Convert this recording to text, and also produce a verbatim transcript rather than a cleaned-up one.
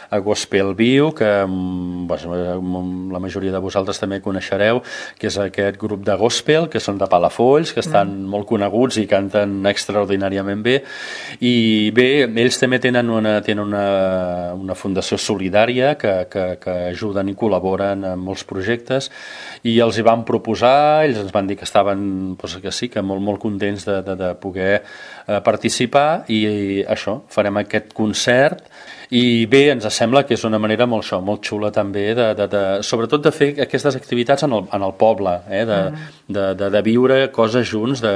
a Gospel Viu, que bueno, la majoria de vosaltres també coneixereu, que és aquest grup de gospel, que són de Palafolls, que estan mm. molt coneguts i canten extraordinàriament bé. I bé, ells també tenen una, tenen una, una fundació solidària que, que, que ajuden i col·laboren en molts projectes, i els hi van proposar, ells ens van dir que estaven, doncs que sí, que molt, molt contents de, de, de poder eh, participar, i, i això, farem aquest concert. I bé, ens sembla que és una manera molt, això, molt xula també, de, de, de, sobretot de fer aquestes activitats en el, en el poble, eh? de, mm. de, de, de viure coses junts, de,